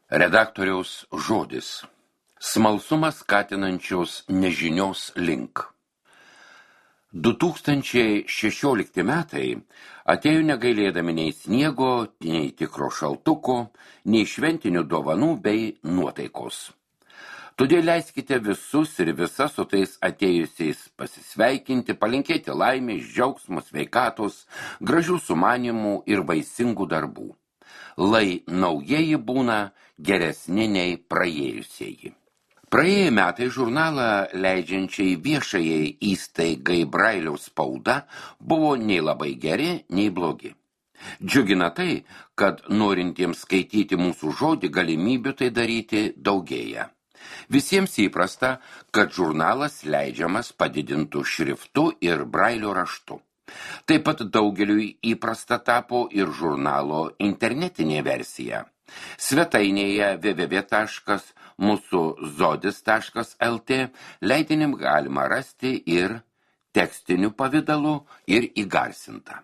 Redaktoriaus žodis. Smalsumas skatinančios nežinios link. 2016 metai atėjo negailėdami nei sniego, nei tikro šaltuko, nei šventinių dovanų bei nuotaikos. Todėl leiskite visus ir visas su tais atėjusiais pasisveikinti, palinkėti laimės, džiaugsmo, sveikatos, gražių sumanimų ir vaisingų darbų. Lai naujieji būna geresni nei praėjusieji. Praėję metai žurnalą leidžiančiai viešajai įstaigai Brailiaus spauda buvo nei labai geri, nei blogi. Džiugina tai, kad norintiems skaityti mūsų žodį galimybių tai daryti daugėja. Visiems įprasta, kad žurnalas leidžiamas padidintų šriftu ir Brailio raštu. Taip pat daugeliui įprasta tapo ir žurnalo internetinė versija. Svetainėje www.musuzodis.lt leidinim galima rasti ir tekstiniu pavidalu, ir įgarsintą.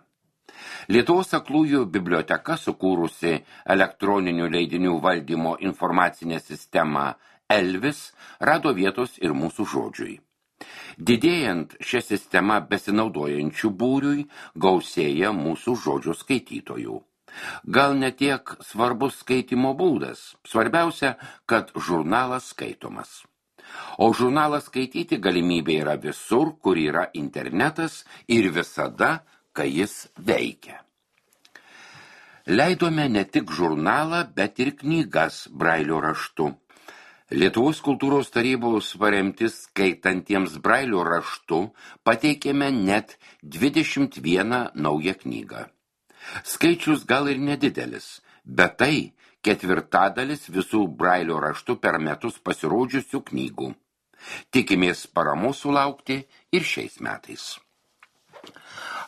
Lietuvos aklųjų biblioteka, sukūrusi elektroninių leidinių valdymo informacinę sistemą Elvis, rado vietos ir mūsų žodžiui. Didėjant šią sistemą besinaudojančių būriui, gausėja mūsų žodžių skaitytojų. Gal ne tiek svarbus skaitymo būdas, svarbiausia, kad žurnalas skaitomas. O žurnalą skaityti galimybė yra visur, kur yra internetas ir visada, kai jis veikia. Leidome ne tik žurnalą, bet ir knygas Brailio raštu. Lietuvos kultūros tarybos paremti skaitantiems Brailio raštu pateikėme net 21 naują knygą. Skaičius gal ir nedidelis, bet tai ketvirtadalis visų Brailio raštu per metus pasirodžiusių knygų. Tikimės paramos sulaukti ir šiais metais.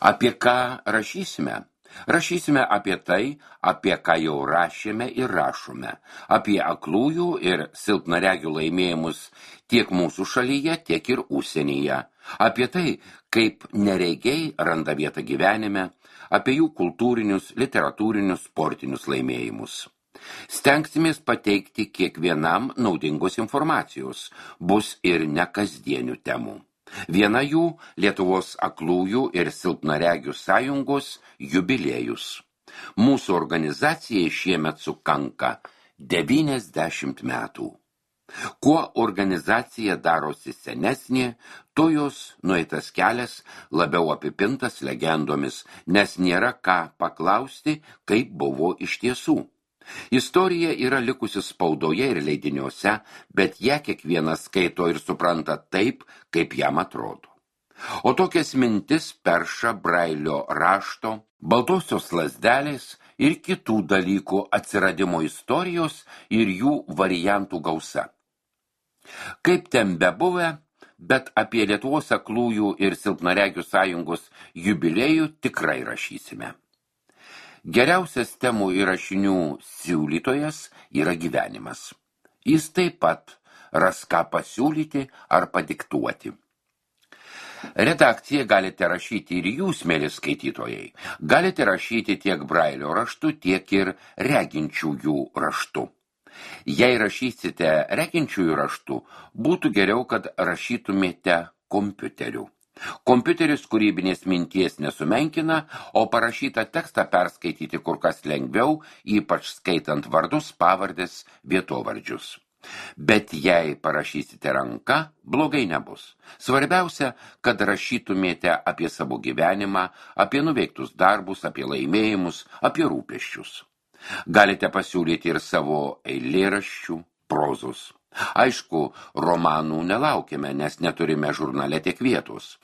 Apie ką rašysime? Rašysime apie tai, apie ką jau rašėme ir rašome, apie aklųjų ir silpnaregių laimėjimus tiek mūsų šalyje, tiek ir užsienyje, apie tai, kaip neregiai randa vietą gyvenime, apie jų kultūrinius, literatūrinius, sportinius laimėjimus. Stengsimės pateikti kiekvienam naudingos informacijos, bus ir nekasdienių temų. Viena jų Lietuvos aklųjų ir silpnaregių sąjungos jubiliejus. Mūsų organizacijai šiemet sukanka 90 metų. Kuo organizacija darosi senesnė, tuo jos nueitas kelias labiau apipintas legendomis, nes nėra ką paklausti, kaip buvo iš tiesų. Istorija yra likusi spaudoje ir leidiniuose, bet ją kiekvienas skaito ir supranta taip, kaip jam atrodo. O tokias mintis perša Brailio rašto, baltosios lazdelės ir kitų dalykų atsiradimo istorijos ir jų variantų gausa. Kaip ten bebuvę, bet apie Lietuvos aklųjų ir silpnaregių sąjungos jubiliejų tikrai rašysime. Geriausias temų ir rašinių siūlytojas yra gyvenimas. Jis taip pat ras ką pasiūlyti ar padiktuoti. Redakciją galite rašyti ir jūs, mieli skaitytojai. Galite rašyti tiek Brailio raštu, tiek ir reginčiųjų raštu. Jei rašysite reginčiųjų raštu, būtų geriau, kad rašytumėte kompiuteriu. Kompiuteris kūrybinės minties nesumenkina, o parašytą tekstą perskaityti kur kas lengviau, ypač skaitant vardus, pavardės, vietovardžius. Bet jei parašysite ranka, blogai nebus. Svarbiausia, kad rašytumėte apie savo gyvenimą, apie nuveiktus darbus, apie laimėjimus, apie rūpesčius. Galite pasiūlyti ir savo eilėraščių, prozos. Aišku, romanų nelaukime, nes neturime žurnale tiek vietos.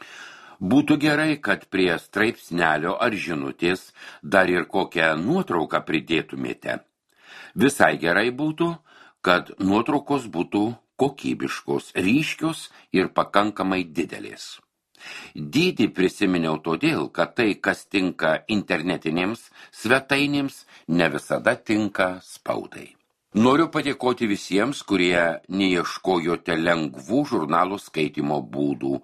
Būtų gerai, kad prie straipsnelio ar žinutės dar ir kokią nuotrauką pridėtumėte. Visai gerai būtų, kad nuotraukos būtų kokybiškos, ryškios ir pakankamai didelės. Dydį prisiminiau todėl, kad tai, kas tinka internetinėms svetainėms, ne visada tinka spaudai. Noriu padėkoti visiems, kurie neieškojote lengvų žurnalų skaitymo būdų,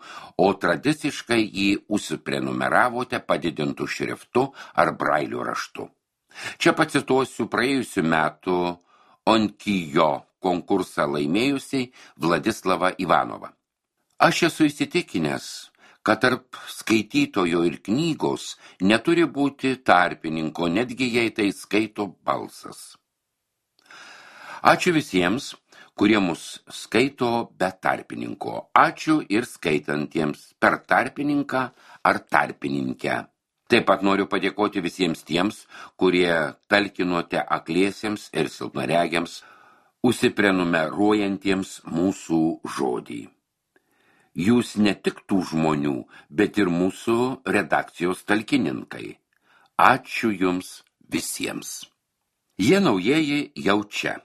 o tradiciškai jį užsiprenumeravote padidintų šriftu ar Brailio raštu. Čia pacituosiu praėjusių metų Onkijo konkursą laimėjusiai Vladislavą Ivanovą. Aš esu įsitikinęs, kad tarp skaitytojo ir knygos neturi būti tarpininko, netgi jei tai skaito balsas. Ačiū visiems, kurie mus skaito be tarpininko. Ačiū ir skaitantiems per tarpininką ar tarpininkę. Taip pat noriu padėkoti visiems tiems, kurie talkinote akliesiems ir silpnaregiams, užsiprenumeruojantiems mūsų žodį. Jūs ne tik tų žmonių, bet ir mūsų redakcijos talkininkai. Ačiū jums visiems. Jie naujieji jau čia.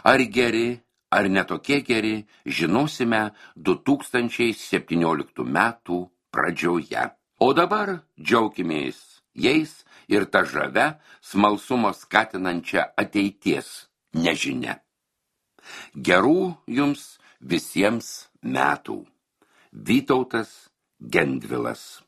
Ar geri, ar netokie geri, žinosime 2017 metų pradžioje. O dabar džiaukimės jais ir ta žavia, smalsumo skatinančia ateities nežinia. Gerų jums visiems metų. Vytautas Gendvilas.